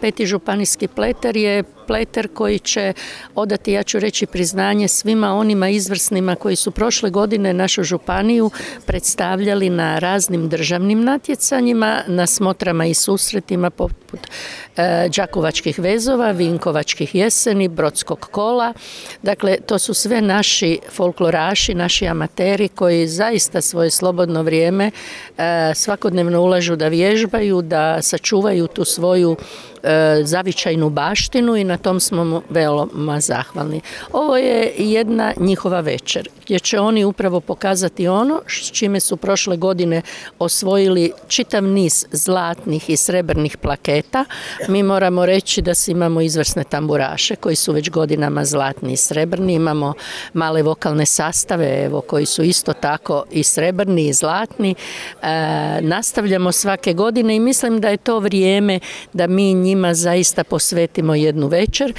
Peti županijski pleter je pleter koji će odati, ja ću reći, priznanje svima onima izvrsnima koji su prošle godine našu županiju predstavljali na raznim državnim natjecanjima, na smotrama i susretima poput Đakovačkih vezova, Vinkovačkih jeseni, Brodskog kola. Dakle, to su sve naši folkloraši, naši amateri koji zaista svoje slobodno vrijeme svakodnevno ulažu da vježbaju, da sačuvaju tu svoju zavičajnu baštinu i na tom smo veoma zahvalni. Ovo je jedna njihova večer gdje će oni upravo pokazati ono s čime su prošle godine osvojili čitav niz zlatnih i srebrnih plaketa. Mi moramo reći da imamo izvrsne tamburaše koji su već godinama zlatni i srebrni, imamo male vokalne sastave evo, koji su isto tako i srebrni i zlatni. Nastavljamo svake godine i mislim da je to vrijeme da mi njima zaista posvetimo jednu večer.